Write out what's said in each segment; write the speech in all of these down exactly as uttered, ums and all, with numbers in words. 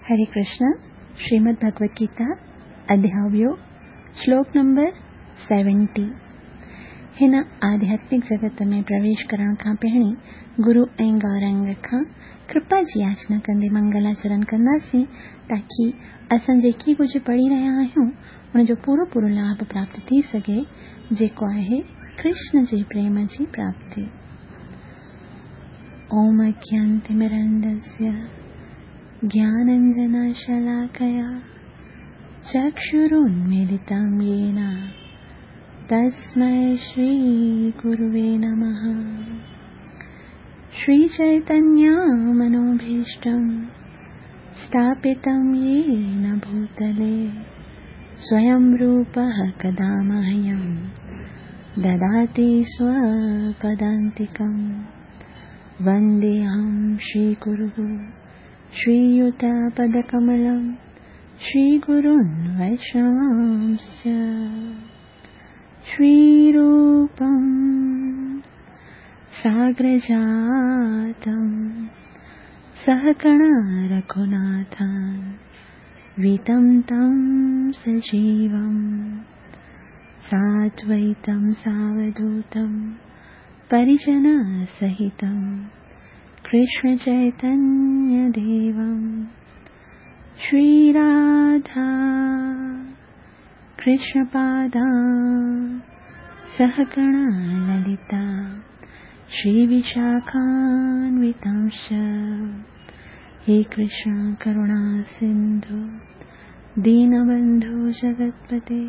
हरे कृष्ण। श्रीमद् भगवद गीता अध्याय ॿियो, श्लोक नंबर सेवेंटी। हिन आध्यात्मिक जगत में प्रवेश करण खां पहिरीं गुरु ऐं गौरंग खां कृपा जी याचना कंदे मंगलाचरण कंदासीं, ताकी असां जेकी कुझु पढ़ी रहिया आहियूं उनजो पूरो पूरो लाभ प्राप्त थी सघे, जेको आहे कृष्ण जे प्रेम जी प्राप्ति। ओम अज्ञानतिमिरन्दस्य ज्ञानाञ्जनशलाकया चक्षुरुन्मीलितं येन तस्मै श्रीगुरुवे नमः। श्रीचैतन्यमनोभीष्टं स्थापितं येन भूतले स्वयं रूपः कदा मह्यं ददाति स्वपदान्तिकं। वन्देऽहं श्रीगुरुः श्रीयुतपदकमलं श्रीगुरुन् वैष्णवांश्च। श्रीरूपं साग्रजातं सहगणा रघुनाथान्वितं तं सजीवं साद्वैतं सावधूतं परिजनसहितं कृष्ण चैतन्य देवं। श्रीराधा कृष्णपादा सहगणा ललिता श्रीविशाखान्वितांश्च। हे कृष्ण करुणा सिन्धु दीनबन्धु जगत्पते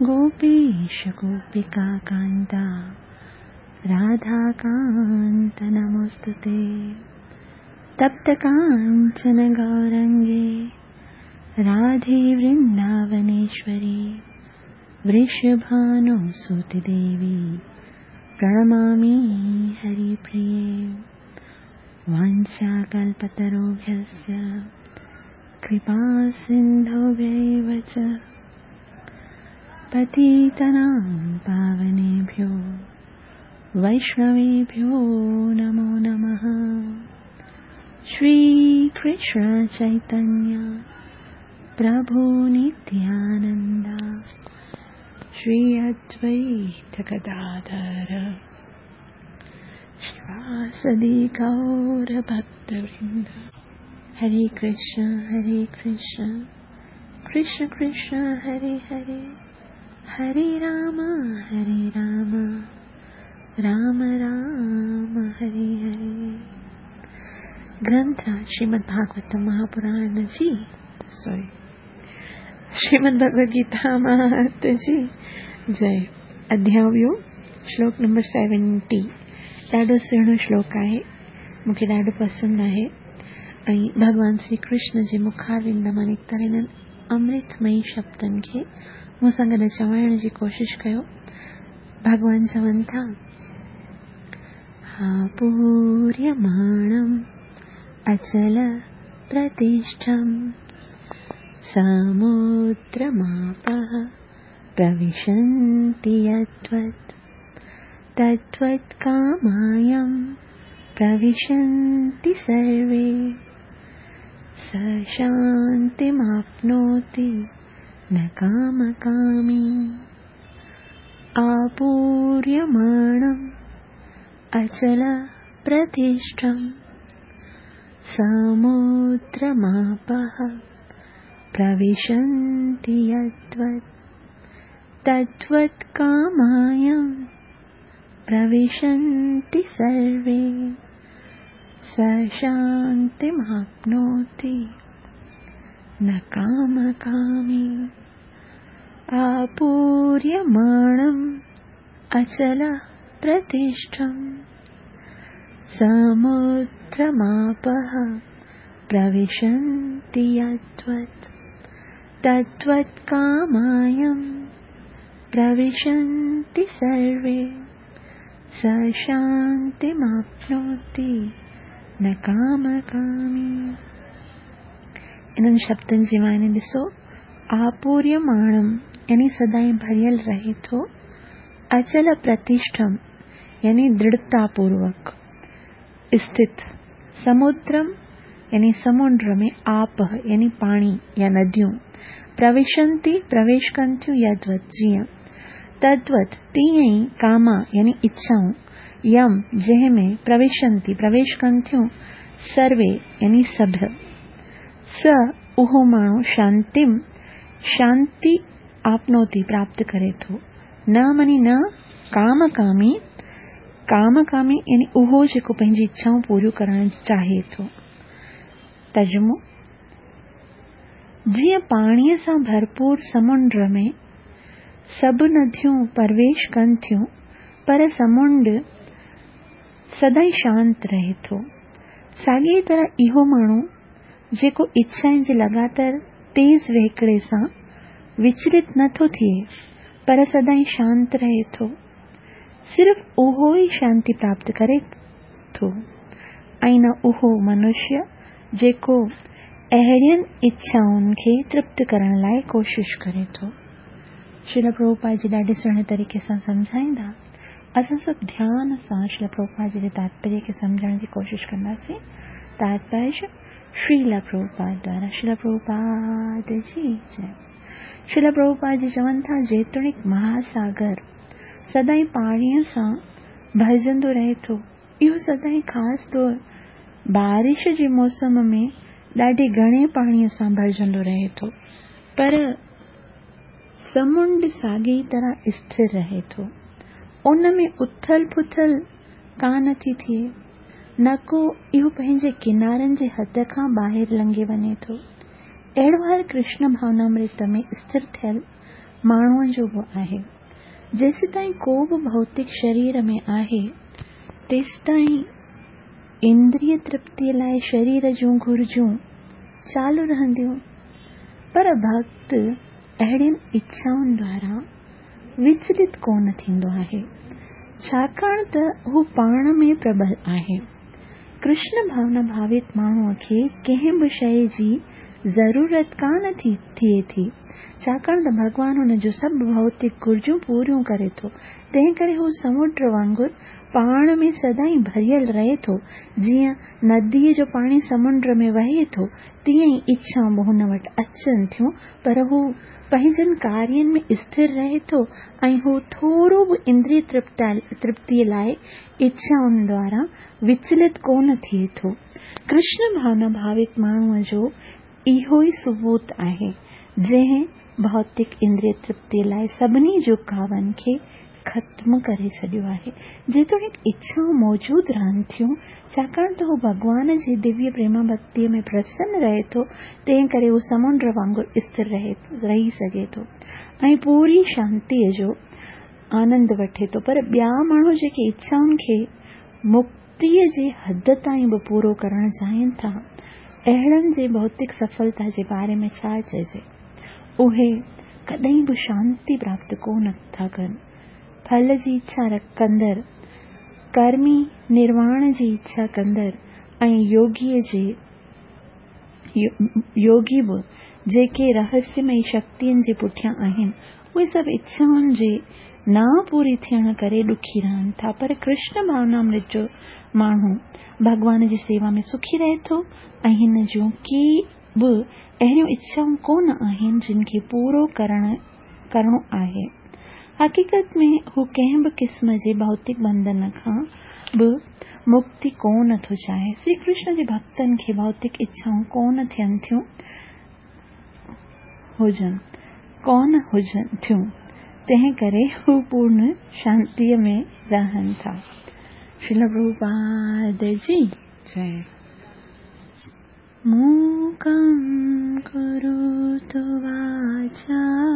गोपीश गोपिका कान्ता राधाकान्त नमोऽस्तुते। तप्त काञ्चन गौरङ्गे राधे वृन्दावनेश्वरी वृषभानुसुते देवी प्रणमामि हरिप्रिये। वाञ्छाकल्पतरुभ्यश्च कृपा सिन्धुभ्यैव च पतितानां पावनेभ्यो वैष्णवेभ्यो नमो नमः। श्री कृष्ण चैतन्य प्रभु नित्यानंद श्री अद्वैत गदाधर श्रीवासदि गौर भक्तवृंद। हरे कृष्ण हरे कृष्ण कृष्ण कृष्ण हरे हरे, हरे राम हरे राम राम राम हरे हरे। ग्रंथ श्रीमद् भागवत महापुराण जी, सॉरी श्रीमद् भगवद गीता महात्म्य जी जय। अध्याय ॿियो, श्लोक नंबर सेवेंटी। ॾाढो सुहिणो श्लोक आहे, मूंखे ॾाढो पसंदि आहे। ऐं भॻवान श्री कृष्ण जे मुखारविंद मां निकितल हिननि अमृतमयी शब्दनि खे मूं सां गॾु चवण जी कोशिशि कयो। भॻवान चवनि था, आपूर्यमाणम् अचल प्रतिष्ठं समुद्रमापः प्रविशन्ति यद्वत् तद्वत् कामायं प्रविशन्ति सर्वे स शान्तिमाप्नोति न कामकामी। आपूर्यमाणम् अचल प्रतिष्ठं समुद्रमापः प्रविशन्ति यद्वत् तद्वत् कामायं प्रविशन्ति सर्वे स शान्तिमाप्नोति न कामकामी। आपूर्यमाणम् अचल प्रतिष्ठं समुद्रमापः प्रविशन्ति यद्वत् तद्वत् कामायं प्रविशन्ति सर्वे स शान्तिमाप्नोति न कामकामी। इन्हनि शब्दनि जी माने ॾिसो, आपूर्यमाणम् यानी सदाईं भरियल रहे थो, अचल प्रतिष्ठम यानी दृढ़तापूर्वक स्थित, समुद्रम यानी समुंड में आपः यानी पाणी या नदियूं प्रविशन्ति प्रवेश कनि थियूं यद्वत् जीअं तद्वत् तीअं ई कामा यानी इच्छाऊं यम जंहिं में प्रविशन्ति प्रवेश कनि थियूं सर्वे यानी सभु स उहो माण्हू शांतिम शांति आपनोति प्राप्त करे थो। न मनी न कामकामी कामकामी यानी उहो जेको पंहिंजी इच्छाऊं पूरियूं करणु चाहे थो। तर्जुमो जीअं पाणीअ सां भरपूर समुंड में सभु नदियूं प्रवेश कनि थियूं पर समुंड सदाईं शांत रहे थो। साॻी तरह इहो माण्हू जेको इच्छाउनि जे लगातार तेज़ वहिकरे सां विचलित नथो थिए पर सदाईं शांत रहे थो, सिर्फ़ उहो ई शांति प्राप्त करे थो ऐं न उहो मनुष्य जेको अहिड़ियुनि इच्छाउनि खे तृप्त करण लाइ कोशिश करे थो। श्रील प्रभुपाद जी ॾाढे सुहिणे तरीक़े सां सम्झाईंदा। असां सभु ध्यान सां श्रील प्रभुपाद जी जे तात्पर्य खे सम्झण जी कोशिश कंदासीं। तात्पर्य श्रील प्रभुपाद द्वारा। श्रील प्रभुपाद जी जय। श्रील प्रभुपाद जी चवनि था जेतोणीकि महासागर सदाईं पाणीअ सां भरिजंदो रहे थो, इहो सदाईं ख़ासि तौर बारिश जे मौसम में ॾाढे घणे पाणीअ सां भरिजंदो रहे थो, पर समुंड साॻी तरह स्थिर रहे थो। उन में उथल पुथल कान थी थिए, न को इहो पंहिंजे किनारनि जे हद खां ॿाहिरि लंघे वञे थो। अहिड़ो हाल कृष्ण भावनामृत में स्थिर थियल माण्हूअ जो बि आहे। जेसीं ताईं को बि भौतिक शरीर में आहे तेसीं ताईं इंद्रिय तृप्तीअ लाइ शरीर जूं घुर्जूं चालू रहंदियूं, पर भक्त अहिड़ियुनि इच्छाउनि द्वारा विचलित कोन थींदो आहे, छाकाणि त हू पाण में प्रबल आहे। कृष्ण भावना भावित माण्हूअ खे कंहिं बि शइ जी ज़रूरत कान थी थिए थी, छाकाणि त भॻवान हुन जूं सभु भौतिक घुर्जूं पूरियूं करे थो। तंहिं करे हू समुंड वांगुरु पाण में सदाईं भरियल रहे थो। जीअं नदीअ जो पाणी समुंड में वहे थो तीअं ई इच्छाऊं बि हुन वटि अचनि थियूं, पर हू पंहिंजनि कार्यनि में स्थिर रहे थो ऐं हू थोरो बि इंद्रिय तृप्तीअ लाइ इच्छाउनि द्वारा विचलित कोन थिए थो। कृष्ण भावना भावित माण्हूअ जो इहो ई सबूत आहे जंहिं भौतिक इंद्रिय तृप्तीअ लाइ सभिनी झुकावनि खे ख़त्म करे छॾियो आहे। जेतोणीकि इच्छाऊं मौजूदु रहनि थियूं, छाकाणि त हू भॻवान जे दिव्य प्रेमा भक्तीअ में प्रसन्न रहे थो, तंहिं करे हू समुंड वांगुरु स्थिर रहे रही सघे थो ऐं पूरी शांतीअ जो आनंद वठे थो। पर ॿिया माण्हू जेके इच्छाउनि खे मुक्तीअ जे हद ताईं बि पूरो करणु चाहिनि था, अहिड़नि जे भौतिक सफलता जे बारे में छा चइजे? उहे कॾहिं बि शांति प्राप्त कोन था कनि। फल जी इच्छा कंदड़, कर्मी निर्वाण जी इच्छा कंदड़ ऐं योगीअ जे योगी बि जेके रहस्यमयी शक्तियुनि जे पुठियां आहिनि, उहे सभु इच्छाउनि जे न पूरी थियण करे ॾुखी रहनि था। पर कृष्ण भावनामृत जो माण्हू भॻवान जी सेवा में सुखी रहे थो ऐं हिन जूं के बि अहिड़ियूं इच्छाऊं कोन आहिनि जिन खे पूरो करण करिणो आहे। हक़ीक़त में हू कंहिं बि क़िस्म जे भौतिक बंधन खां बि मुक्ति कोन थो चाहे। श्री कृष्ण जे भक्तनि खे भौतिक इच्छाऊं कोन थियनि थियूं हुजनि कोन हुजनि थियूं, तंहिं करे हू पूर्ण शांतीअ में रहनि था। श्रील प्रभुपाद जी जय। मूकं करोतु वाचालं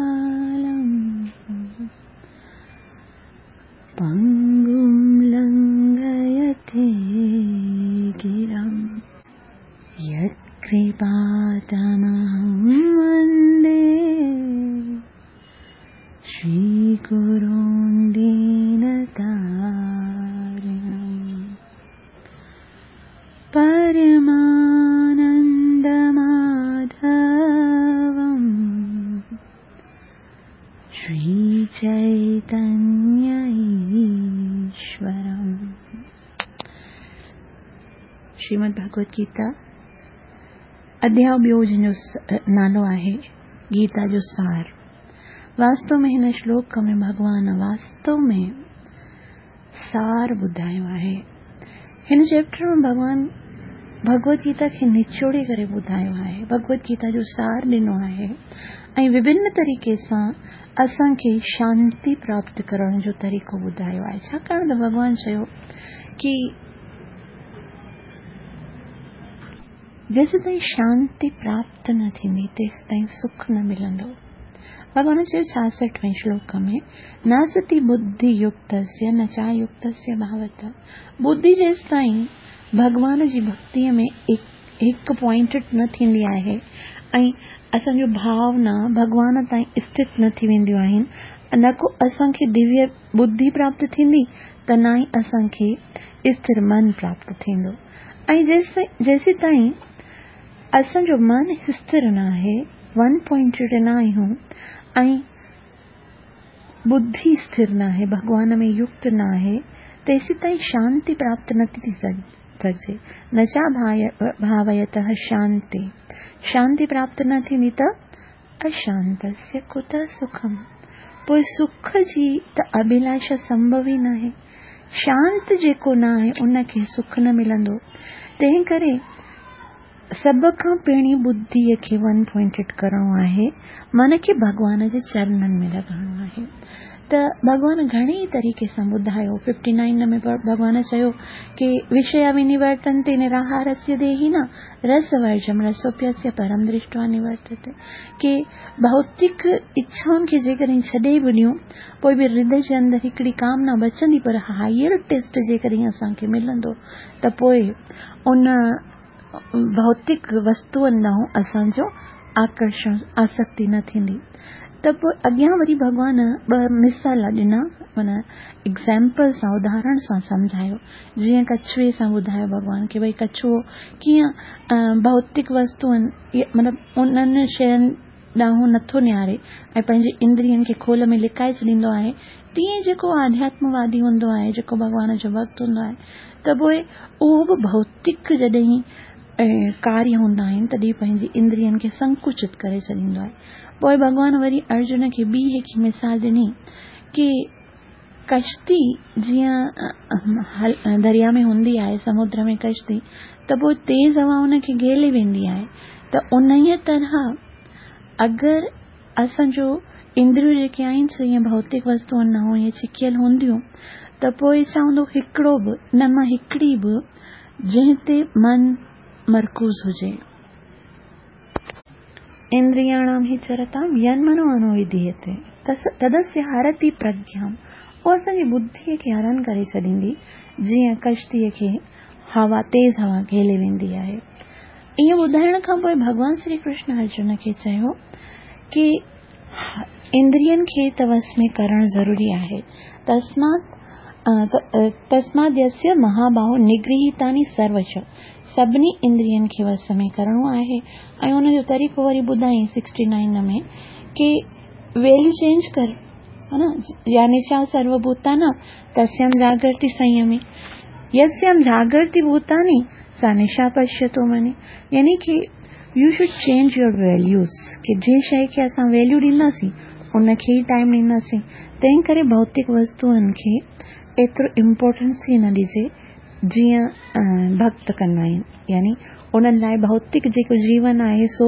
पंगुं लंघयते गिरिं यत्कृपातमहं वन्दे श्रीगुरुं दीनतारिणं परमानन्दमाधवं श्रीचैतन्य ईश्वरम्। श्रीमद् भगवद गीता अध्याय ॿियो जंहिंजो नालो आहे गीता जो सार। वास्तव में हिन श्लोक में भॻवान वास्तव में सार ॿुधायो आहे। हिन चैप्टर में भॻवान भगवत गीता खे निचोड़े करे ॿुधायो आहे, भगवत गीता जो सार ॾिनो आहे ऐं विभिन्न तरीक़े सां असांखे शांति प्राप्त करण जो तरीक़ो ॿुधायो आहे। छाकाणि त भॻवान चयो की जेसीं ताईं शांति प्राप्त न थींदी तेसीं ताईं सुख न मिलंदो। भॻवान चयो छासठवें श्लोक में, नासति बुद्धि युक्तस्य न चायुक्तस्य भावतः। बुद्धि जेसीं ताईं भॻवान जी भक्तीअ में हिकु पॉइंटेड न थींदी आहे ऐं असांजो भावना भॻवान ताईं स्थित न थी वेंदियूं आहिनि, न को असांखे दिव्य बुद्धि प्राप्त थींदी त न ई असांखे स्थिर मन प्राप्त थींदो। ऐं जेसीं ताईं असांजो मन स्थिर न आहे, वन पॉइंटेड न आहियूं ऐं बुद्धि स्थिर न आहे, भॻवान में युक्त न आहे, तेसीं ताईं शांति प्राप्त नथी थी सघिजे। न चा भावयतः शांति, शांति प्राप्त न थींदी त अशांतस्य कुतः सुखम, पोइ सुख जी त अभिलाषा संभव ई न आहे। शांत जेको न आहे उनखे सुख न मिलंदो। तंहिं करे सभ खां पहिरीं बुद्धीअ खे वन पॉइंटेड करणो आहे, मन खे भॻवान जे चरणनि में लॻाइणो आहे। त भॻवान घणे ई तरीक़े सां ॿुधायो। फिफ्टी नाइन में भॻवान चयो की विषया विनिवर्तन्ते निराहारस्य देहिनः रसवर्जं रसोऽप्यस्य परं दृष्ट्वा निवर्तते। की भौतिक इच्छाउनि खे जेकॾहिं छॾे बि ॾियूं पोइ बि हृदय जे अंदरि हिकिड़ी कामना बचंदी, पर हायर टेस्ट जेकॾहिं असांखे मिलंदो त पोइ उन भौतिक वस्तुअनि ॾांहुं असांजो आकर्षण आसक्ति न थींदी। त पोइ अॻियां वरी भॻवान ॿ मिसाल ॾिना, माना एग्ज़ाम्पल सां, उदाहरण सां सम्झायो। जीअं कछुए सां ॿुधायो भॻवान की भई कछुओ कीअं भौतिक वस्तुअनि मतिलबु उन्हनि शयुनि ॾांहुं नथो निहारे ऐं पंहिंजे इंद्रियनि खे खोल में लिकाए छॾींदो आहे, तीअं जेको आध्यात्मवादी हूंदो आहे, जेको भॻवान जो भक्त हूंदो आहे, त पोइ उहो बि भौतिक जॾहिं कार्य हूंदा आहिनि तॾहिं पंहिंजी इंद्रियनि खे संकुचित करे छॾींदो आहे। पोइ भॻवान वरी अर्जुन खे ॿी हिकिड़ी मिसाल ॾिनी की कश्ती जीअं दरिया में हूंदी आहे, समुद्र में कश्ती, त पोइ तेज़ हवा उनखे घेले वेंदी आहे। त उन तरह अगरि असांजो इंद्रियूं जेके आहिनि सो ईअं भौतिक वस्तुअनि ॾांहुं ईअं छिकियल हूंदियूं त पोइ छा हूंदो, हिकिड़ो बि न मां हिकिड़ी बि जंहिं ते मन मरकूज़ हुजे। इंद्रियाणां हि चरतां यन्मनो अनुविधीयते तदस्य हरति प्रज्ञां। उहो असांजी बुद्धीअ खे हरण करे छॾींदी, जीअं कश्तीअ खे हवा, तेज़ हवा घेले वेंदी आहे। ईअं ॿुधाइण खां पोइ भॻवान श्री कृष्ण अर्जुन खे चयो की इंद्रियनि खे त वश में करणु ज़रूरी आहे। तस्मात् तस्माद्यस्य महाबाहो निगृहीतानि सर्वश, सभिनी इंद्रियनि खे वश में करणो आहे। ऐं उनजो तरीक़ो वरी ॿुधाई सिक्सटी नाइन में की वैल्यू चेंज कर, है न, या निशा सर्वभूतानां तस्यां जागर्ति संयमी, यस्यां जागर्ति भूतानि सा निशा पश्यतो मनि। यानी की you should change your values, की जंहिं शइ खे असां वैल्यू ॾींदासीं उनखे ई टाइम ॾींदासीं। तंहिं करे भौतिक वस्तुअनि खे एतिरो इम्पोर्टेंस ई न ॾिजे जीअं भक्त कंदा आहिनि। यानी उन्हनि लाइ भौतिक जेको जीवन आहे सो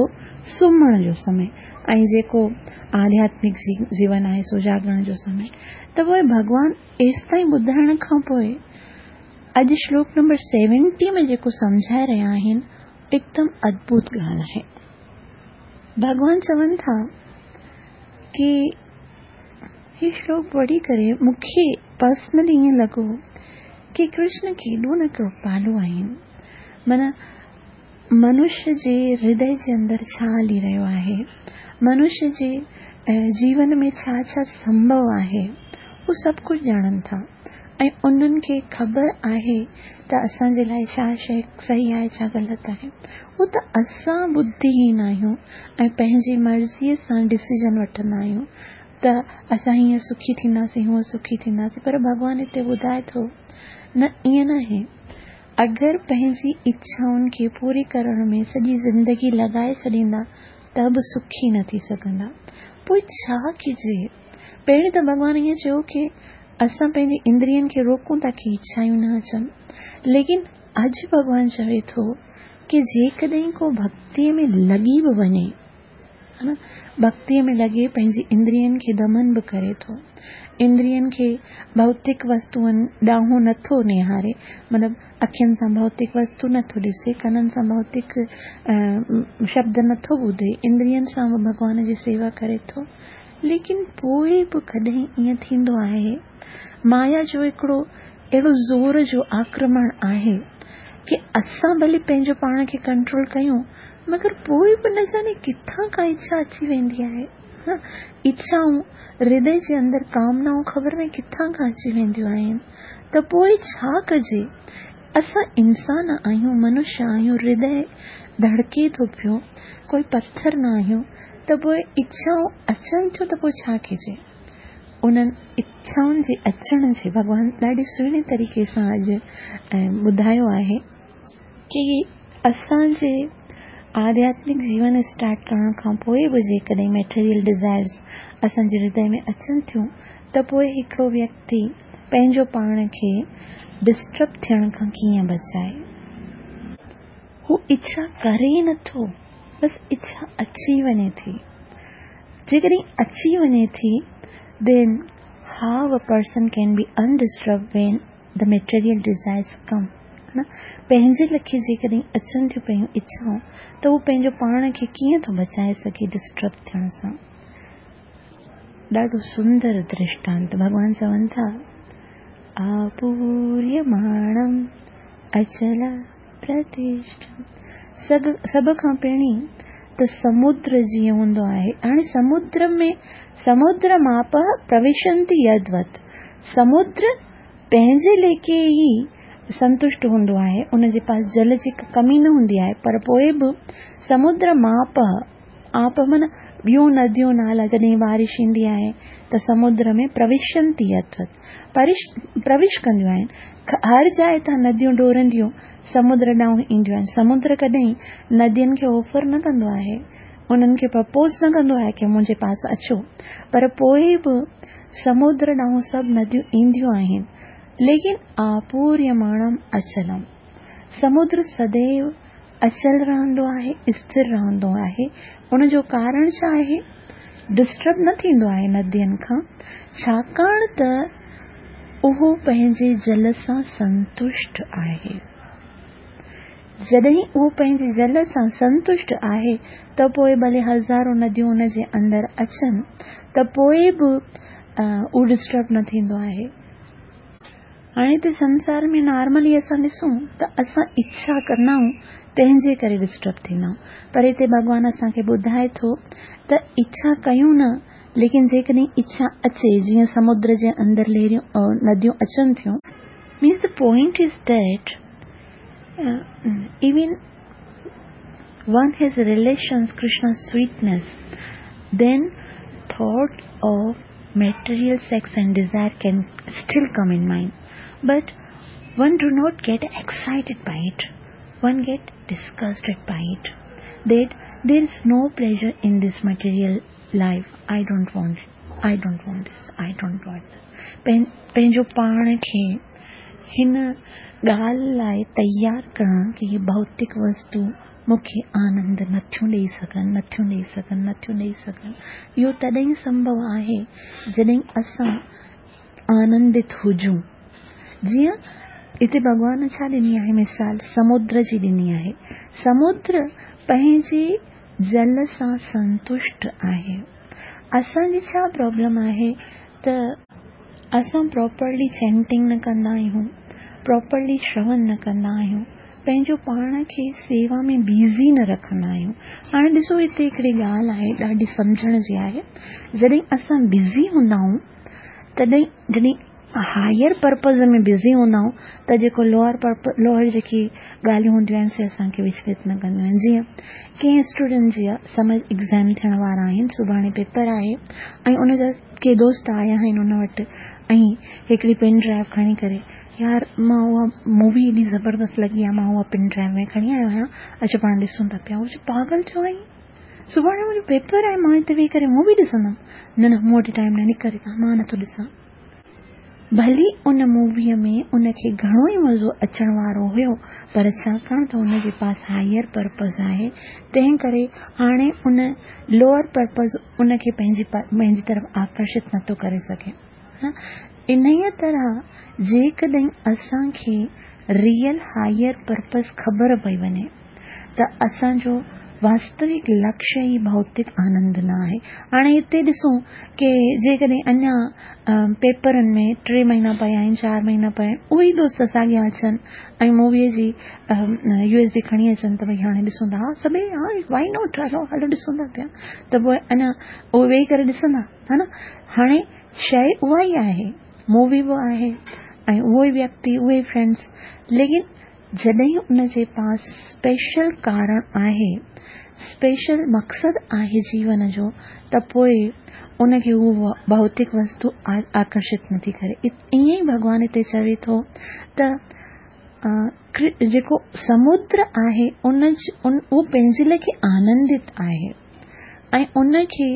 सुम्हण जो समय ऐं जेको आध्यात्मिक जीवन आहे सो जागरण जो समय। त पोइ भॻवान एसि ताईं ॿुधाइण खां पोइ अॼु श्लोक नंबर सेवेंटी में जेको सम्झाए रहिया आहिनि एकदम अद्भुत ॻाल्हि आहे। भॻवान चवनि था की ही श्लोक पढ़ी करे मूंखे पर्सनली ईअं लॻो की कृष्ण केॾो न कृपालु आहिनि। माना मनुष्य जे हृदय जे अंदरि छा हली रहियो आहे, मनुष्य जे जीवन में छा छा संभव आहे, हू सभु कुझु ॼाणनि था ऐं उन्हनि खे ख़बर आहे त असांजे लाइ छा शइ सही आहे, छा ग़लति आहे। हू त असां बुद्धिहीन आहियूं ऐं पंहिंजी मर्ज़ीअ सां डिसीजन वठंदा आहियूं त असां हीअं सुखी थींदासीं, हूअं सुखी थींदासीं। पर भॻवान हिते ॿुधाए थो न, ईअं न आहे। अगरि पंहिंजी इच्छाउनि खे पूरी करण में सॼी ज़िंदगी लॻाए छॾींदा त बि सुखी न थी सघंदा। पोइ छा कजे? पहिरीं त भॻवान ईअं चयो की असां पंहिंजी इंद्रियनि खे रोकूं था की इच्छायूं न अचनि, लेकिन अॼु भॻवान चवे थो की जेकॾहिं को भक्तीअ में लॻी बि वञे, हा न, भक्तीअ में लॻे पंहिंजी इंद्रियनि खे दमन बि करे थो, इंद्रियनि खे भौतिक वस्तुअनि ॾांहुं नथो निहारे, मतिलबु अखियुनि सां भौतिक वस्तु नथो ॾिसे, कननि सां भौतिक शब्द नथो ॿुधे, इंद्रियनि सां बि भॻवान जी सेवा करे थो, लेकिन पोइ बि कॾहिं ईअं थींदो आहे, माया जो हिकिड़ो अहिड़ो ज़ोर जो आक्रमण आहे की असां भले पंहिंजो पाण खे कंट्रोल कयूं, मगर पोइ बि न जाने किथां खां इच्छा अची वेंदी आहे। इच्छाऊं हृदय जे अंदरि कामनाऊं ख़बर न किथां खां अची वेंदियूं आहिनि। त पोइ छा कजे? असां इंसान आहियूं, मनुष्य आहियूं, हृदय धड़के थो पियो, कोई पथर न आहियूं, त पोइ इच्छाऊं अचनि थियूं त पोइ छा कजे? उन्हनि इच्छाउनि जे अचण जे भॻवान ॾाढे सुहिणे तरीक़े सां अॼु ॿुधायो आहे की असांजे आध्यात्मिक जीवन स्टार्ट करण खां पोइ बि जेकॾहिं मेटेरियल डिज़ायर्स असांजे हृदय में अचनि थियूं त पोइ हिकिड़ो व्यक्ति पंहिंजो पाण खे डिस्टर्ब थियण खां कीअं बचाए? हू इच्छा करे नथो, बसि इच्छा अची वञे थी। जेकॾहिं अची वञे थी, then how a person can be undisturbed when the material desires come? न पंहिंजे लेखे जेकॾहिं अचनि थियूं पयूं इच्छाऊं त हू पंहिंजो पाण खे कीअं थो बचाए सघे डिस्टर्ब थियण सां? ॾाढो सुंदर दृष्टांत भॻवान चवनि था, आपूर्यमाणम अचल प्रतिष्ठम। सभ सभ खां पहिरीं त समुद्र जीअं हूंदो आहे। हाणे समुद्र में समुद्र माप प्रविशंति यदवत, समुद्र पंहिंजे लेखे ई संतुष्ट हूंदो आहे, उनजे पास जल जी कमी न हूंदी आहे, पर पोइ बि समुद्र माप आप माना ॿियूं नदियूं नाला जॾहिं बारिश ईंदी आहे त समुद्र में प्रविशंति यदवत, परिश प्रवेश कंदियूं आहिनि। हर जाइ तां नदियूं डोरंदियूं समुद्र ॾांहुं ईंदियूं आहिनि। समुद्र कॾहिं नदियुनि खे ऑफर न कंदो आहे, उन्हनि खे प्रपोज़ न कंदो आहे की मुंहिंजे पास अचो, पर पोइ बि समुद्र ॾांहुं सभु नदियूं ईंदियूं आहिनि। लेकिन आपूर्यमाणम अचलम, समुद्र सदैव अचल रहंदो आहे, स्थिर रहंदो आहे। उनजो कारण छा आहे? डिस्टर्ब न थींदो आहे नदियुनि खां, छाकाणि त उहो पंहिंजे जल सां संतुष्ट आहे। जॾहिं उहो पंहिंजे जल सां संतुष्ट आहे त पोइ भले हज़ारो नदियूं उनजे अंदरि अचनि त पोइ बि उहो डिस्टर्ब न थींदो आहे। हाणे हिते संसार में नॉर्मली असां ॾिसूं त असां इच्छा कंदा आहियूं तंहिंजे करे डिस्टर्ब थींदा आहियूं, पर हिते भॻवान असांखे ॿुधाए थो त इच्छा कयूं न, लेकिन जेकॾहिं इच्छा अचे, जीअं समुद्र जे अंदरि लहरियूं नदियूं अचनि थियूं। Means the point is that even one has relations Krishna's sweetness, then thought of material sex and desire can still come in mind, but one do not get excited by it, one get disgusted by it, that there is no pleasure in this material life, I don't want it, I don't want this, I don't want this. पंहिंजो पाण खे हिन ॻाल्हि लाइ तयारु करणु की हीअ भौतिक वस्तु मूंखे आनंद नथियूं ॾेई सघनि, नथियूं ॾेई सघनि, नथियूं ॾेई सघनि। इहो तॾहिं संभव आहे जॾहिं असां आनंदित हुजूं। जीअं हिते भॻवान छा ॾिनी आहे मिसाल? समुद्र जी ॾिनी आहे। समुद्र पंहिंजे जल सां संतुष्ट आहे। असांजी छा प्रॉब्लम आहे त असां प्रॉपरली चैंटिंग न कंदा आहियूं, प्रॉपरली श्रवण न कंदा आहियूं, पंहिंजो पाण खे सेवा में बिज़ी न रखंदा आहियूं। हाणे ॾिसो हिते हिकिड़ी ॻाल्हि आहे ॾाढी सम्झण जी आहे। जॾहिं असां बिज़ी हूंदा आहियूं तॾहिं जॾहिं هائر پرپز ۾ بزي هوندا آهيون ته جيڪو لوئر پرپ لوئر جيڪي ڳالهيون هونديون آهن سي اسان کي وچلت نه ڪنديون آهن. جيئن ڪنهن اسٽوڊنٽ جا سمجهه ايگزام ٿيڻ وارا آهن، سڀاڻي پيپر آهي ۽ ان جا ڪي دوست آيا آهن ان وٽ ۽ هڪڙي پين ڊرائيو کڻي ڪري، يار مان اها مووي ايڏي زبردست لڳي آهي، مان اها پين ڊرائيو ۾ کڻي آيو آهيان، اچ پاڻ ڏسون ٿا پيا. هو چئي پاڳل ٿيو آهين، سڀاڻي منهنجو پيپر آهي، مان هتي ويهي ڪري مووي ڏسندم؟ نه نه مون وٽ ٽائيم نه، نڪر هتان، مان نٿو ڏسان. ڀلي ان موويء ۾ ان کي گهڻو ئي مزو اچڻ وارو هيو، پر ڇاڪاڻ ته ان جي پاس هائر پرپز آهي، تنهن ڪري هاڻي ان لوئر پرپز ان کي پنهنجي پنهنجي طرف آڪرشت نٿو ڪري سگهي. انهيء طرح جيڪڏهن اسان کي ريئل هائر پرپز خبر پئي وڃي ته اسان جو واستوڪ لڪشيه ئي ڀوتڪ آنند نه آهي. هاڻي هتي ڏسون ڪي جيڪڏهن اڃا پيپرن ۾ ٽي مهينا پيا آهن، چار مهينا پيا آهن، اهي ئي دوست ساڳيا اچن ۽ موويء جي يو ايس بي کڻي اچن ته ڀئي هاڻي ڏسون ٿا، ها سڀئي ها وائي not, هلو هلو ڏسون ٿا پيا، ته پوء اڃا اهي ويهي ڪري ڏسندا ها نه. هاڻي شيء اها ئي آهي، مووي به آهي ۽ اهو ئي ويڪتي، اهي ئي فرينڊس، ليڪن جڏهن ان جي پاس اسپيشل ڪارڻ آهي، اسپيشل مقصد آهي جيون جو، ته پوء ان کي هو ڀوتڪ وستو آڪرشت نٿي ڪري. ائين ئي ڀڳوان هتي چوي ٿو ته جيڪو سمدر آهي ان اهو پنهنجي ليکي آنندت آهي ۽ ان کي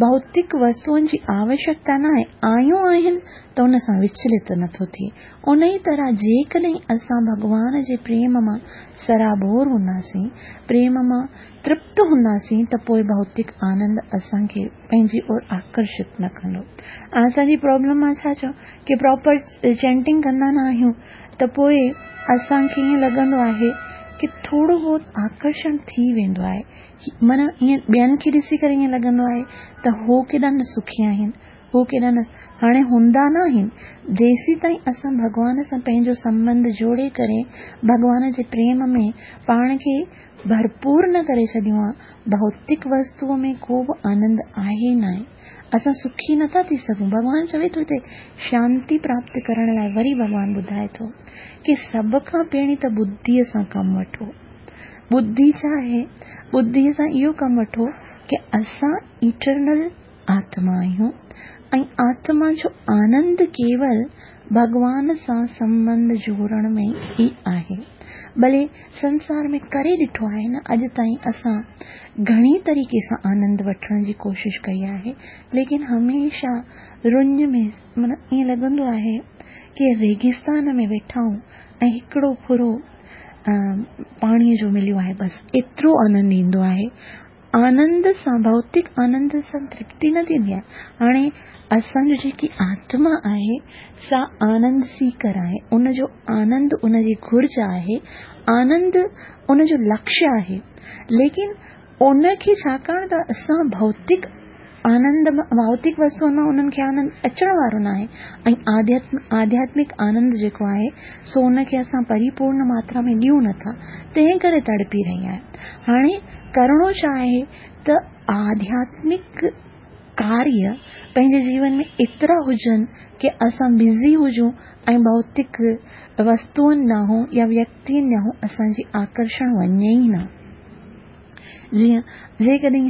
ڀوتڪ وستوئن جي آوشيڪتا نه آهي، آيون آهن ته ان سان وچلت نٿو ٿئي. ان ئي طرح جيڪڏهن اسان ڀڳوان جي پريم مان سرابور هونداسين، پريم مان ترپت هونداسين، ته پوء ڀوتڪ آنند اسان کي پنهنجي اور آڪرشت نه ڪندو. اسان جي پرابلم مان ڇا چئون ڪي پراپر چينٽنگ ڪندا نه آهيون ته پوء اسان کي ائين لڳندو آهي ڪي ٿورو بهت آڪرشڻ ٿي ويندو آهي، معنيٰ ائين ٻين کي ڏسي ڪري ائين لڳندو آهي ته هو ڪيڏا نه سکي آهن، هو ڪيڏا نه، هاڻي هوندا نه آهن. جيسين تائين اسان ڀڳوان سان پنهنجو سنٻنڌ جوڙي ڪري ڀڳوان جي پريم ۾ پاڻ کي ڀرپور نه ڪري ڇڏيون آ، ڀوتڪ وستوء ۾ ڪو به آنند آهي نه آهي، اسان سکي نٿا ٿي سگهون. ڀڳوان چوي ٿو هتي شانتي پراپت ڪرڻ لاء وري ڀڳوان ٻڌائي ٿو ڪي سڀ کان پهرين ته ٻڌيء سان ڪم وٺو. ٻڌي ڇا آهي؟ ٻڌيء سان اهو ڪم وٺو ڪي اسان ايٽرنل آتما آهيون ۽ آتما جو آنند ڪيول ڀڳوان سان سنٻنڌ جوڙڻ ۾ ئي آهي. ڀلي سنسار ۾ ڪري ڏٺو آهي نه، اڄ تائين اسان گهڻي طريقي سان آنند وٺڻ جي ڪوشش ڪئي آهي، ليڪن هميشه رڃ ۾ معنيٰ ائين لڳندو آهي ڪي ريگستان ۾ ويٺا آهيون ۽ هڪڙو ڦرو پاڻيء جو مليو آهي، بس ايترو آنند ايندو آهي. آنند سان، ڀوتڪ آنند سان ترپتي نه ٿيندي آهي. هاڻي اسان جو جيڪي آتما آهي سا آنند سيڪر آهي، ان جو آنند ان جي گهرج آهي، آنند ان جو لڪشيه آهي، ليڪن ان کي ڇاڪاڻ ته اسان ڀوتڪ آنند ڀوتڪ وستوئن مان انهن کي آنند اچڻ وارو نه آهي ۽ آڌياتمڪ آنند جيڪو آهي سو ان کي اسان پريپورڻ ماترا ۾ ڏيون نٿا، تنهن ڪري تڙپي رهي آهي. هاڻي ڪرڻو ڇا آهي ته آڌياتمڪ ڪاريه پنهنجي جيون ۾ ايترا هجن ڪي اسان بزي هجون ۽ ڀوتڪ وستوئن ڏانهن يا ويڪتين ڏانهن اسان جي آڪرشڻ وڃي ئي نه. جيئن جيڪڏهن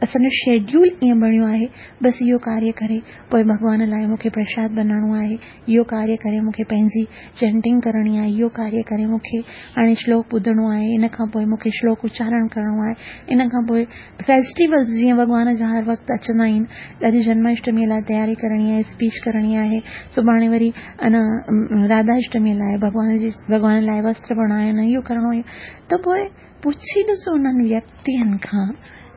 اسان جو شيڊيول ائين بڻيو آهي، بس اهو ڪاريه ڪري پوء ڀڳوان لاء مون کي پرشاد بنائڻو آهي، اهو ڪاريه ڪري مون کي پنهنجي چينٽنگ ڪرڻي آهي، اهو ڪاريه ڪري مون کي هاڻي شلوڪ ٻڌڻو آهي، ان کان پوء مون کي شلوڪ اچارڻ ڪرڻو آهي، ان کان پوء فيسٽيولز جيئن ڀڳوان جا هر وقت اچندا آهن، اڄ جنم اشٽميء لاء تياري ڪرڻي آهي، اسپيچ ڪرڻي آهي، سڀاڻي وري انا راڌا اشٽميء لاء ڀڳوان جي ڀڳوان لاء وستر بڻائڻ، اهو ڪرڻو آهي، ته پوء پڇي ڏسو انهن ويڪتين کان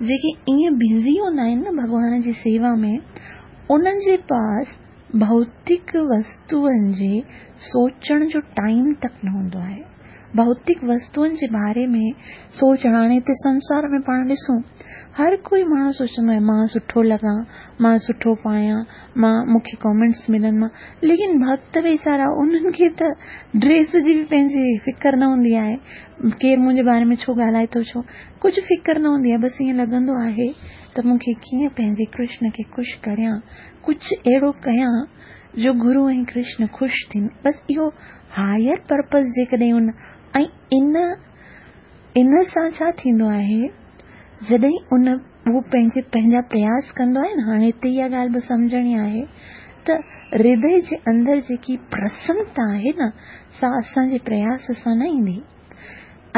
جيڪي ائين بزي هوندا آهن نه ڀڳوان جي سيوا ۾، انهن جي پاس ڀوتڪ وستوئن جي سوچڻ جو ٽائيم تڪ نه هوندو آهي. ڀوتڪ وستوئن جي باري ۾ سوچڻ، هاڻي هتي سنسار ۾ پاڻ ڏسون هر ڪوئي ماڻهو سوچندو آهي مان سٺو لڳان، مان سٺو پايان، مان مون کي ڪامينٽس ملن، مان، ليڪن ڀڳت ويچارا انهن کي ته ڊريس جي به پنهنجي فڪر نه هوندي آهي، ڪير منهنجي باري ۾ ڇو ڳالهائي ٿو، ڇو ڪجهه فڪر نه هوندي آهي، بس ائين لڳندو آهي त मूंखे कीअं पंहिंजे कृष्ण खे ख़ुशि करियां, कुझु अहिड़ो कयां जो गुरू ऐं कृष्ण ख़ुशि थियनि। बसि इहो हायर पर्पस जेकॾहिं उन ऐं इन इन सां छा थींदो आहे, जॾहिं उन उहो पंहिंजे पंहिंजा प्रयास कंदो आहे न, हाणे हिते इहा ॻाल्हि बि सम्झणी आहे त हृदय जे अंदरि जेकी प्रसन्नता आहे न, सा असांजे प्रयास सां न ईंदी।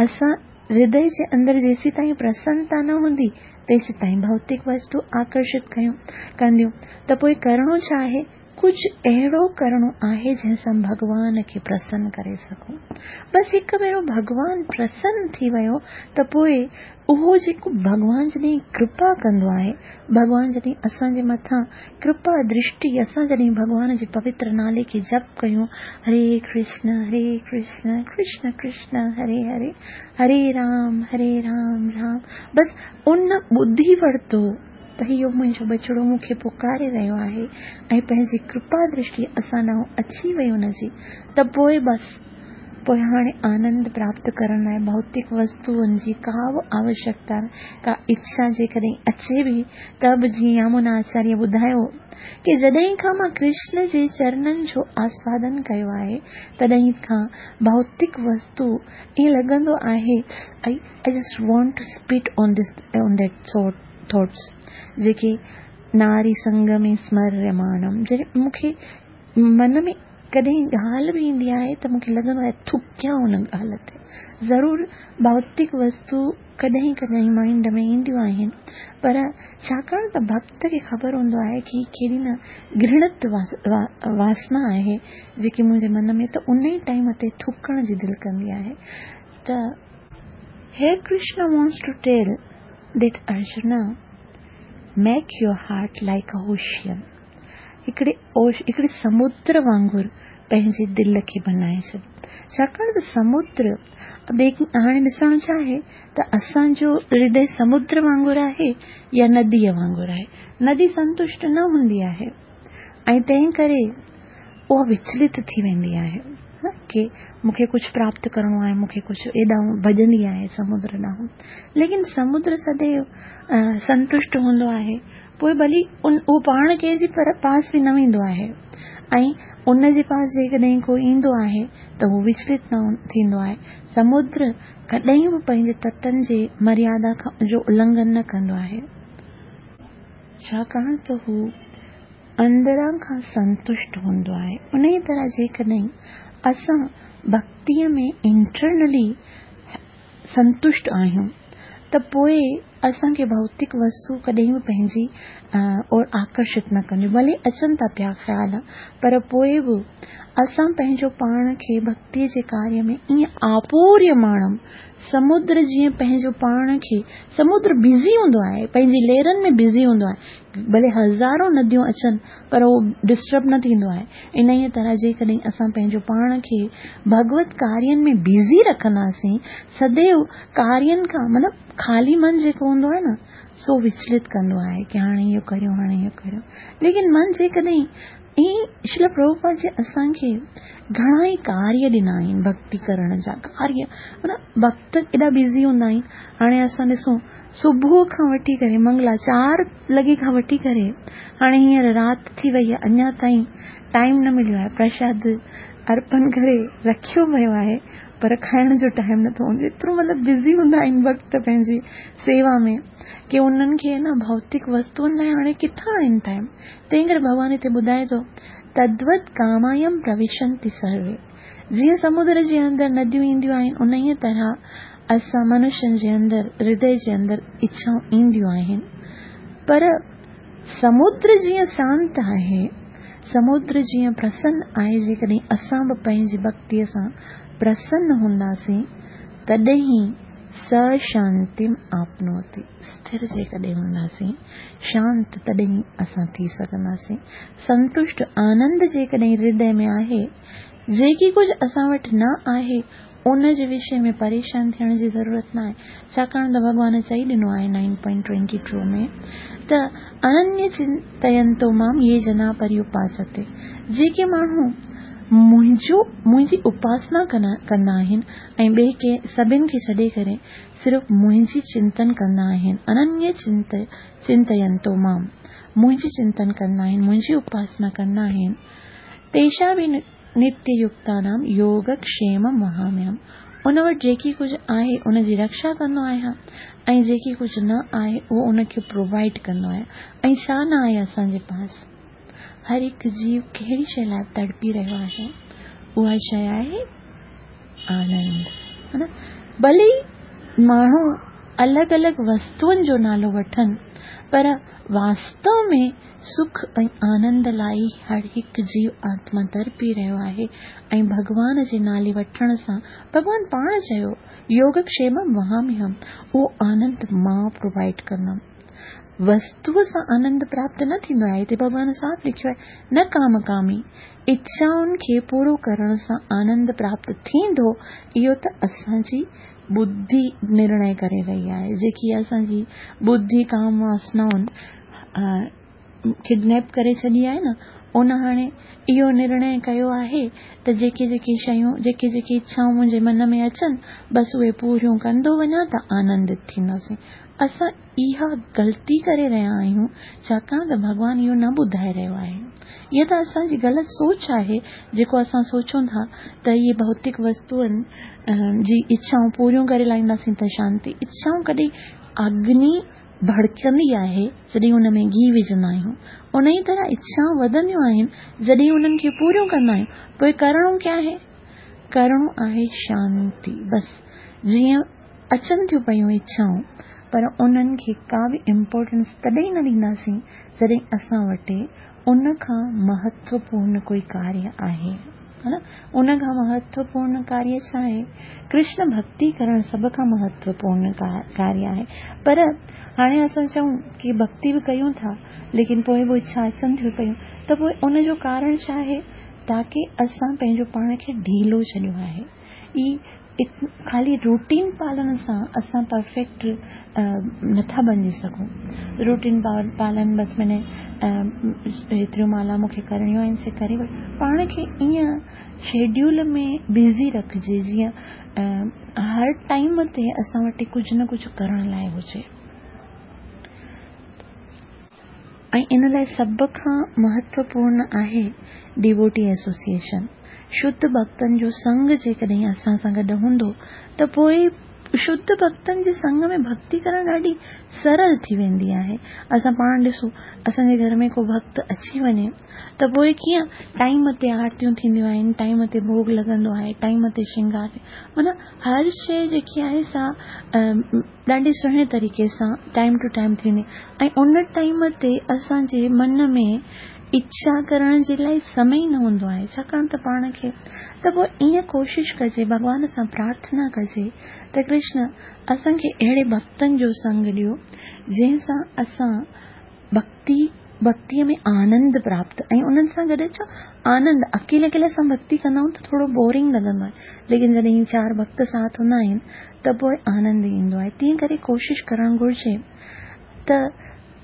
असां हृदय जे अंदरि जेसीं ताईं प्रसन्नता न हूंदी तेसीं ताईं भौतिक वस्तु आकर्षित कयूं कंदियूं। त पोइ करिणो छा आहे? कुझु अहिड़ो करिणो आहे जंहिंसां भॻवान खे प्रसन्न करे सघूं। बसि हिकु भेरो भॻवान प्रसन्न थी वियो त पोइ उहो जेको भॻवान जॾहिं कृपा कंदो आहे, भॻवान जॾहिं असांजे मथां कृपा दृष्टि, असां जॾहिं भॻवान जे पवित्र नाले खे जप कयूं, हरे कृष्ण हरे कृष्ण कृष्ण कृष्ण हरे हरे, हरे राम हरे राम राम, बसि उन ॿुधी वरितो त इहो मुंहिंजो बचिड़ो मूंखे पुकारे रहियो आहे ऐं पंहिंजी कृपा दृष्टि असां ॾांहुं अची वई हुनजी, त पोइ बसि पोइ हाणे आनंद प्राप्त करण लाइ भौतिक वस्तुउनि जी का बि आवश्यकता, का इच्छा जेकॾहिं अचे बि त बि जीअं यामुना आचार्य ॿुधायो की जॾहिं खां मां कृष्ण जे चरणनि जो आस्वादन कयो आहे तॾहिं खां भौतिक वस्तु ईअं लॻंदो आहे, I I just want to spit on this on that thought thoughts जेके नारी संग में स्मर्यमाणम। जॾहिं मूंखे मन में कॾहिं ॻाल्हि बि ईंदी आहे त मूंखे लॻंदो आहे थुकियां हुन ॻाल्हि ते। ज़रूरु भौतिक वस्तु कॾहिं कॾहिं माइंड में ईंदियूं आहिनि, पर छाकाणि त भक्त खे ख़बर हूंदो आहे की केॾी न घृणित वासना आहे जेकी मुंहिंजे मन में, त उन ई टाइम ते थुकण जी दिलि कंदी आहे। त here Krishna wants to tell that Arjuna, make your heart like a ocean. हिकिड़े हिकिड़े समुद्र वांगुरु पंहिंजी दिलि खे बनाए छॾ। छाकाणि त समुद्र हाणे ॾिसणु छा आहे त असांजो हृदय समुद्र वांगुरु आहे या नदीअ वांगुरु आहे। नदी संतुष्ट न हूंदी आहे ऐं तंहिं करे उहा विचलित थी वेंदी आहे की मूंखे कुझु प्राप्त करिणो आहे, मूंखे कुझु एॾां भॼंदी आहे समुद्र ॾांहुं। लेकिन समुद्र सदैव संतुष्ट हूंदो आहे, पोइ भली उन उहो पाण कंहिंजे पर पास बि न वेंदो आहे ऐं उन जे पास जेकॾहिं को ईंदो आहे त उहो विचलित न थींदो आहे। समुद्र कॾहिं बि पंहिंजे तटनि जे मर्यादा खां जो उल्लंघन न कंदो आहे, छाकाणि त हू अंदरां खां संतुष्ट हूंदो आहे। उन ई तरह जेकॾहिं असां भक्तीअ में इंटरनली संतुष्ट आहियूं त पोइ असांखे भौतिक वस्तु कॾहिं बि पंहिंजी और आकर्षित न कंदियूं। भले अचनि था पिया ख़्याल, पर पोइ बि असां पंहिंजो पाण खे भक्तीअ जे कार्य में ईअं आपूर्यमाणम, समुद्र जीअं पंहिंजो पाण खे, समुद्र बिज़ी हूंदो आहे, पंहिंजी लहरनि में बिज़ी हूंदो आहे, भले हज़ारो नदियूं अचनि पर उहो डिस्टर्ब न थींदो आहे। इन ई तरह जेकॾहिं असां पंहिंजो पाण खे भगवत कार्यनि में बिज़ी रखंदासीं, सदैव कार्यनि खां माना ख़ाली मन जेको हूंदो आहे न सो विचलित कंदो आहे की हाणे इहो करियो हाणे इहो करियो। लेकिन मन जेकॾहिं ईअं श्रील प्रभुपाद जी असांखे घणा ई कार्य ॾिना आहिनि भक्ति करण जा कार्य, माना भक्त एॾा बिज़ी हूंदा आहिनि। हाणे असां ॾिसूं सुबुह खां वठी करे मंगला चार लॻे खां वठी करे हाणे हींअर राति थी वई आहे, अञा ताईं टाइम न मिलियो आहे, प्रसाद अर्पण करे रखियो वियो आहे पर खाइण जो टाइम नथो हूंदो। एतिरो मतिलबु बिज़ी हूंदा आहिनि भक्त पंहिंजी सेवा में की उन्हनि खे न भौतिक वस्तुउनि लाइ हाणे किथां आहिनि टाइम। तंहिं करे भॻवान हिते ॿुधाए थो तद्वत कामायम प्रविशन्ति सर्वे, जीअं समुद्र जे अंदरि नदियूं ईंदियूं आहिनि उन ई तरह असां मनुष्यनि जे अंदरि हृदय जे अंदरि इच्छाऊं ईंदियूं आहिनि। पर समुद्र जीअं शांत आहे, समुद्र जीअं प्रसन्न आहे, जेकॾहिं असां बि पंहिंजी भक्तीअ सां प्रसन्न हूंदासीं तॾहिं सशांतिम आपनोति, स्थिर जेकॾहिं हूंदासीं शांत तॾहिं असां थी सघंदासीं। संतुष्ट आनंद जेकॾहिं हृदय में आहे, जेकी कुझु असां वटि न आहे उन जे विषय में परेशान थियण जी ज़रूरत न आहे, छाकाणि त भॻवान चई ॾिनो आहे नाइन पॉइंट ट्वेंटी टू में त अनन्य चिंतयंतो माम ये जना पर्युपासते, जेके माण्हू मुंहिंजो मुंहिंजी उपासना कंदा आहिनि ऐं ॿिए कंहिं सभिनि खे छॾे करे सिर्फ़ु मुंहिंजी चिंतन कंदा आहिनि। अनन्य चिंत चिंतयंतो माम, मुंहिंजी चिंतन कंदा आहिनि, मुंहिंजी उपासना कंदा आहिनि। तेषां बि नित्ययुक्तानां योगक्षेम वहाम्यहम्, उन वटि जेकी कुझु आहे उन जी रक्षा कंदो आहियां ऐं जेकी कुझु न आहे उहो उनखे प्रोवाइड कंदो आहियां। ऐं छा न आहे असांजे पास? हर हिकु जीव कहिड़ी शइ लाइ तड़पी रहियो आहे? उहा शइ आहे आनंद, हा न? भले माण्हू अलॻि अलॻि वस्तुअनि जो नालो वठनि, पर वास्तव में सुख ऐं आनंद लाइ हर हिकु जीव आत्मा तड़पी रहियो आहे। ऐं भॻवान जे नाले वठण सां भॻवान पाण चयो योगक्षेम वहाम्यहम्, उहो आनंद मां प्रोवाइड कंदमि। वस्तूअ सां आनंद प्राप्त न थींदो आहे। हिते भॻवान साफ़ लिखियो आहे, न काम कामी, इच्छाउनि खे पूरो करण सां आनंद प्राप्त थींदो, इहो त असांजी बुद्धि निर्णय करे रही आहे। जेकी असांजी बुद्धि काम वासनाउनि किडनैप करे छॾी आहे न, उन हाणे इहो निर्णय कयो आहे त जेके जेके शयूं, जेके जेके इच्छाऊं मुंहिंजे मन में अचनि, बसि उहे पूरियूं कंदो वञा त आनंदित थींदासीं। असां इहा ग़लती करे रहिया आहियूं, छाकाणि त भॻवान इहो न ॿुधाए रहियो आहे। इहा त असांजी ग़लति सोच आहे, जेको असां सोचूं था त इहे भौतिक वस्तुअनि जी इच्छाऊं पूरियूं करे लाहींदासीं त शांति। इच्छाऊं कॾहिं अग्नि भड़कंदी आहे जॾहिं उन में घी विझंदा आहियूं, उन ई तरह इच्छाऊं वधंदियूं आहिनि जॾहिं उन्हनि खे पूरियूं कंदा आहियूं। पोइ करिणो क्या आहे? करिणो आहे शांति। बसि जीअं अचनि थियूं पयूं इच्छाऊं, पर उन्हनि खे का बि इम्पोर्टेंस तॾहिं न ॾींदासीं जॾहिं असां वटि उन खां महत्वपूर्ण कोई कार्य आहे, हा न? उन खां महत्वपूर्ण कार्य छा आहे? कृष्ण भक्ति करणु सभ खां महत्वपूर्ण कार्य आहे। पर हाणे असां चऊं की भक्ति बि कयूं था, लेकिन पोइ बि इच्छा अचनि थियूं पयूं, त पोइ उनजो कारण छा आहे? ताकी असां पंहिंजो पाण खे ढीलो छॾियो आहे। ई ख़ाली रूटीन पालन सां असां परफेक्ट नथा बणिजी सघूं। रूटीन पालन बसि माने एतिरियूं माला मूंखे करणियूं आहिनि से करे वठि, पाण खे ईअं शेड्यूल में बिज़ी रखिजे जीअं हर टाइम ते असां वटि कुझु न कुझु करण लाइ हुजे। ऐं इन लाइ सभ खां महत्वपूर्ण आहे डिवोटी एसोसिएशन। शुद्ध भक्तनि जो संग जेकॾहिं असां सां गॾु हूंदो त पोइ शुद्ध भक्तनि जे संग में भक्ति करणु ॾाढी सरल थी वेंदी आहे। असां पाण ॾिसूं, असांजे घर में को भक्त अची वञे त पोइ कीअं टाइम ते आरतियूं थींदियूं आहिनि, टाइम ते भोग लॻंदो आहे, टाइम ते श्रृंगार, माना हर शइ जेकी आहे सा ॾाढी सुहिणे तरीक़े सां टाइम टू टाइम थींदी। ऐं उन टाइम ते असांजे मन में इच्छा करण जे लाइ समय न हूंदो आहे, छाकाणि त पाण खे त पोइ ईअं कोशिशि कजे, भॻवान सां प्रार्थना कजे त कृष्ण असांखे अहिड़े भक्तनि जो संग ॾियो जंहिंसां असां भक्ति भक्तीअ में आनंद प्राप्त। ऐं उन्हनि सां गॾु छा आनंद, अकेले अकेले असां भक्ति कंदा आहियूं त थोरो बोरिंग लॻंदो आहे, लेकिन जॾहिं चारि भक्त साथ हूंदा आहिनि त पोइ आनंद ईंदो आहे। तीअं करे कोशिशि करणु घुरिजे त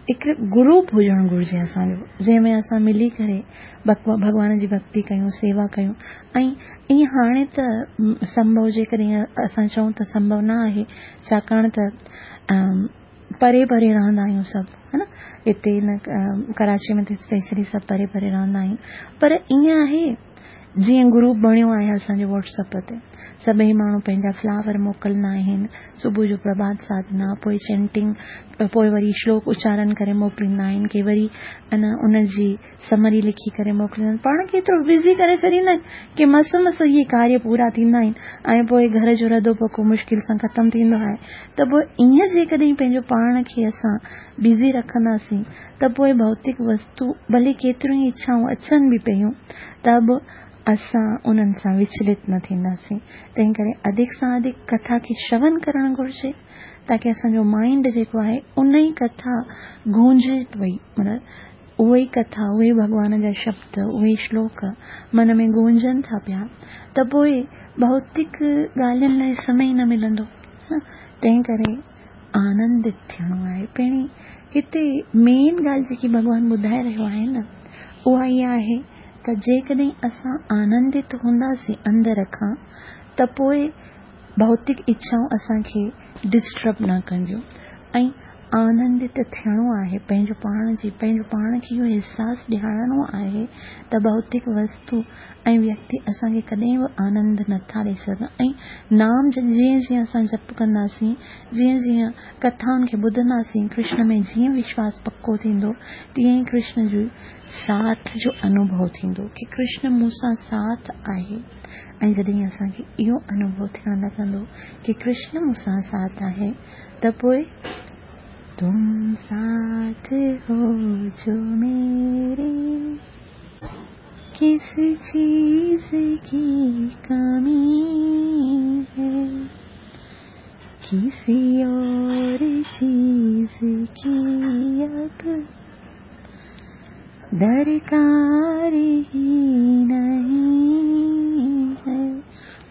हिकु ग्रुप हुजणु घुरिजे असांजो, जंहिंमें असां मिली करे भॻवान जी भक्ति कयूं, सेवा कयूं। ऐं ईअं हाणे त संभव जेकॾहिं असां चऊं त संभव न आहे, छाकाणि त परे परे रहंदा आहियूं सभु, हा न? हिते न कराची में त स्पेशली सभु परे परे रहंदा आहिनि, पर ईअं आहे जीअं ग्रुप बणियो आहे असांजो व्हाट्सएप ते, सभई माण्हू पंहिंजा फ्लावर मोकिलिंदा आहिनि, सुबुह जो प्रभात साधना, पोइ चैंटिंग, पोइ वरी श्लोक उचारण करे मोकिलिंदा आहिनि, के वरी अना उनजी समरी लिखी करे मोकिलिंदा आहिनि। पाण खे एतिरो बिज़ी करे छॾींदा आहिनि की मस मस इहे कार्य पूरा थींदा आहिनि ऐं पोइ घर जो रधो पको मुश्किल सां ख़तमु थींदो आहे। त पोइ ईअं जेकॾहिं पंहिंजो पाण खे असां बिज़ी रखंदासीं त पोइ भौतिक वस्तू भले केतिरियूं ई इच्छाऊं अचनि बि पयूं त बि असां उन्हनि सां विचलित न थींदासीं। तंहिं करे अधिक सां अधिक कथा खे श्रवण करणु घुरिजे, ताकी असांजो माइंड जेको आहे उन ई कथा गूंजे पई, माना उहे ई कथा, उहे भॻवान जा शब्द, उहे श्लोक मन में गूंजनि था पिया, त पोइ भौतिक ॻाल्हियुनि लाइ समय न मिलंदो। तंहिं करे आनंदित थियणो आहे। पहिरीं हिते मेन ॻाल्हि जेकी भॻवान ॿुधाए रहियो आहे न, उहा इहा आहे ته جيڪڏهن اسان آنندت هونداسين اندر کان ته پوءِ ڀوتڪ اڇائون اسان کي ڊسٽرب نه ڪنديون. ۽ آنندت ٿيڻو آهي، پنهنجو پاڻ جي پنهنجو پاڻ کي اهو احساس ڏيارڻو آهي ته ڀوتڪ وستو ۽ ويڪتي اسان کي ڪڏهن به آنند نٿا ڏيئي سگهن. ۽ نام جيئن جيئن اسان جپ ڪنداسين، جيئن جيئن ڪٿائن کي ٻڌنداسين، ڪرشن ۾ جيئن وشواس پڪو ٿيندو، تيئن ئي ڪرشن جو ساٿ جو انوڀو ٿيندو ڪه ڪرشن مون سان ساٿ آهي. ۽ جڏهن اسان کي اهو انوڀو ٿيڻ لڳندو ڪه ڪرشن مون سان ساٿ آهي ته پوءِ تم ساٿ هو جو ميري، ڪس چيز ڪي ڪمي هي، ڪسي اور چيز ڪي اب درڪار ئي نهين هي.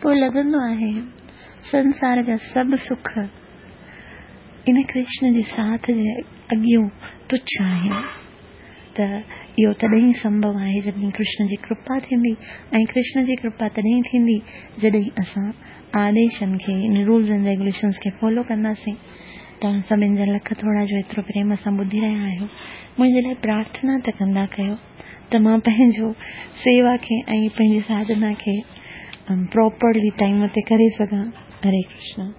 پوءِ لڳندو آهي سنسار جا سڀ سک ان ڪرشن جي ساٿ جي اڳيون تڇ آهن. ته اهو تڏهن ئي سنڀو آهي جڏهن ڪرشن جي ڪرپا ٿيندي، ۽ ڪرشن جي ڪرپا تڏهن ٿيندي جڏهن اسان آديشن کي، رولز اينڊ ريگوليشنس کي فالو ڪنداسين. توهان سڀني جا لک ٿورا جو ايترو پريم سان ٻڌي رهيا آهيو. منهنجي لاءِ پرارٿنا ته ڪندا ڪيو ته مان پنهنجو سيوا کي ۽ پنهنجي ساڌنا کي پراپرلي ٽائيم تي ڪري سگهان. هري ڪرشن.